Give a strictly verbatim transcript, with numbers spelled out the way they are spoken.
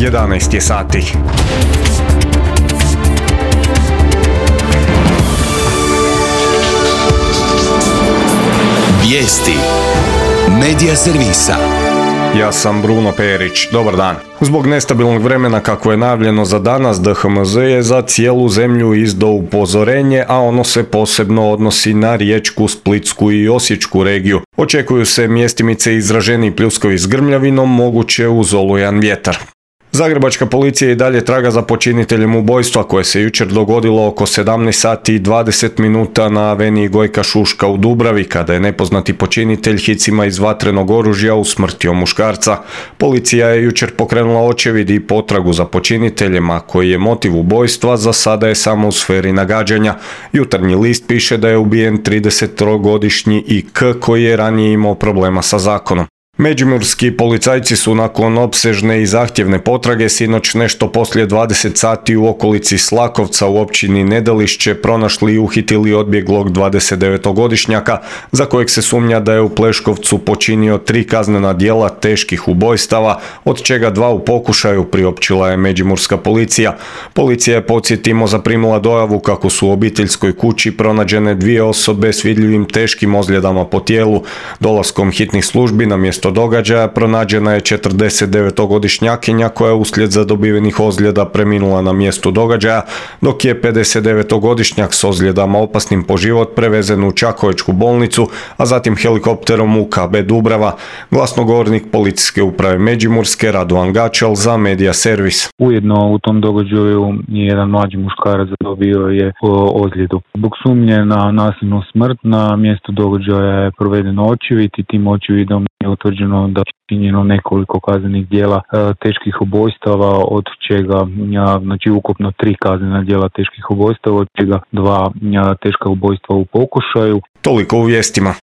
jedanaest je sati. Vijesti Medija servisa. Ja sam Bruno Perić, dobar dan. Zbog nestabilnog vremena kako je najavljeno za danas, D H M Z je za cijelu zemlju izdao upozorenje, a ono se posebno odnosi na Riječku, Splitsku i Osječku regiju. Očekuju se mjestimice izraženiji pljuskovi s grmljavinom, moguće uz olujan vjetar. Zagrebačka policija i dalje traga za počiniteljem ubojstva koje se jučer dogodilo oko sedamnaest sati i dvadeset minuta na aveniji Gojka Šuška u Dubravi, kada je nepoznati počinitelj hicima iz vatrenog oružja usmrtio muškarca. Policija je jučer pokrenula očevid i potragu za počiniteljem, a koji je motiv ubojstva za sada je samo u sferi nagađanja. Jutarnji list piše da je ubijen tridesettrogodišnji I K koji je ranije imao problema sa zakonom. Međimurski policajci su nakon opsežne i zahtjevne potrage sinoć nešto poslije dvadeset sati u okolici Slakovca u općini Nedelišće pronašli i uhitili odbjeglog dvadesetdevetogodišnjaka za kojeg se sumnja da je u Pleškovcu počinio tri kaznena djela teških ubojstava, od čega dva u pokušaju, priopćila je međimurska policija. Policija je, podsjetimo, zaprimila dojavu kako su u obiteljskoj kući pronađene dvije osobe s vidljivim teškim ozljedama po tijelu. Dolaskom hitnih službi na mjesto događaja pronađena je četrdesetdevetogodišnjakinja koja je uslijed zadobivenih ozljeda preminula na mjestu događaja, dok je pedesetdevetogodišnjak s ozljedama opasnim po život prevezen u Čakovečku bolnicu, a zatim helikopterom u K B Dubrava. Glasnogovornik policijske uprave Međimurske Radovan Gačel za Medija servis. Ujedno u tom događaju jedan mlađi muškarac zadobio je ozljedu. Zbog sumnje na nasilnu smrt na mjestu događaja je proveden očevid i tim očevidom je utvrđeno da je činjeno nekoliko kaznenih djela e, teških ubojstava, od čega ja, znači ukupno tri kaznena djela teških ubojstava, od čega dva ja, teška ubojstva u pokušaju. Toliko u vijestima.